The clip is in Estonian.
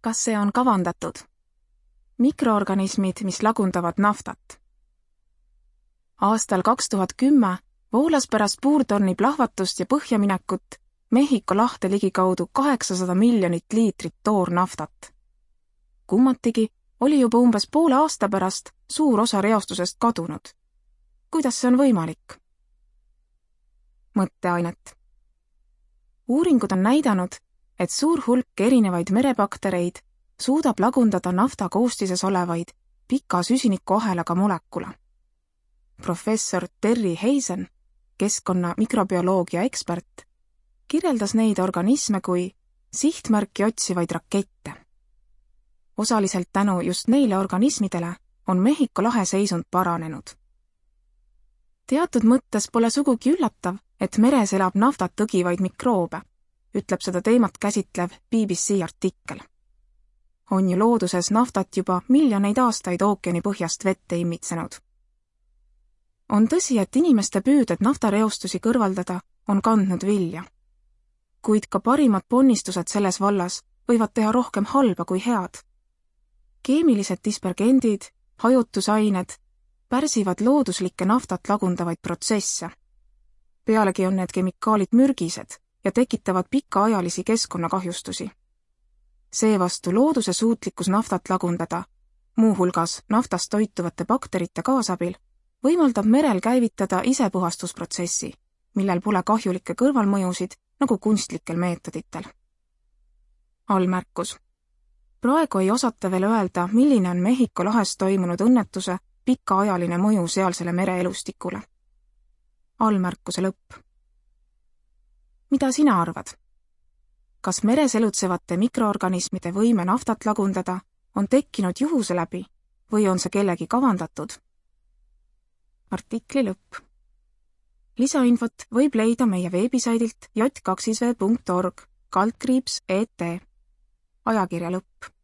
Kas see on kavandatud? Mikroorganismid, mis lagundavad naftat. Aastal 2010 voolas pärast puurtorni plahvatust ja põhjaminekut Mehhiko lahte ligikaudu 800 miljonit liitrit toornaftat. Kummatigi oli juba umbes poole aasta pärast suur osa reostusest kadunud. Kuidas see on võimalik? Mõtteainet. Uuringud on näidanud, et suur hulk erinevaid merebaktereid suudab lagundada nafta koostises olevaid pika süsinikuahelaga molekula. Professor Terry Hazen, keskkonna mikrobioloogia ekspert, kirjeldas neid organisme kui sihtmärki otsivaid rakette. Osaliselt tänu just neile organismidele on Mehhiko lahe seisund paranenud. Teatud mõttes pole sugugi üllatav, et meres elab naftat tõgivaid mikroobe, ütleb seda teemat käsitlev BBC artikkel. On ju looduses naftat juba miljoneid aastaid ookeani põhjast vette imitsenud. On tõsi, et inimeste püüded naftareostusi kõrvaldada on kandnud vilja. Kuid ka parimad ponnistused selles vallas võivad teha rohkem halba kui head. Keemilised dispergendid, hajutusained pärsivad looduslikke naftat lagundavaid protsesse. Pealegi on need kemikaalid mürgised ja tekitavad pikaajalisi keskkonnakahjustusi. Seevastu looduse suutlikkus naftat lagundada, muuhulgas naftast toituvate bakterite kaasabil, võimaldab merel käivitada isepuhastusprotsessi, millel pole kahjulikke kõrvalmõjusid nagu kunstlikel meetoditel. Allmärkus. Praegu ei osata veel öelda, milline on Mehhiko lahes toimunud õnnetuse pikaajaline mõju sealsele mereelustikule. Allmärkuse lõpp. Mida sina arvad? Kas meres elutsevate mikroorganismide võime naftat lagundada on tekkinud juhuse läbi või on see kellegi kavandatud? Artikli lõpp. Lisainfot võib leida meie veebisaidilt j2v.org/et. Ajakirja lõpp.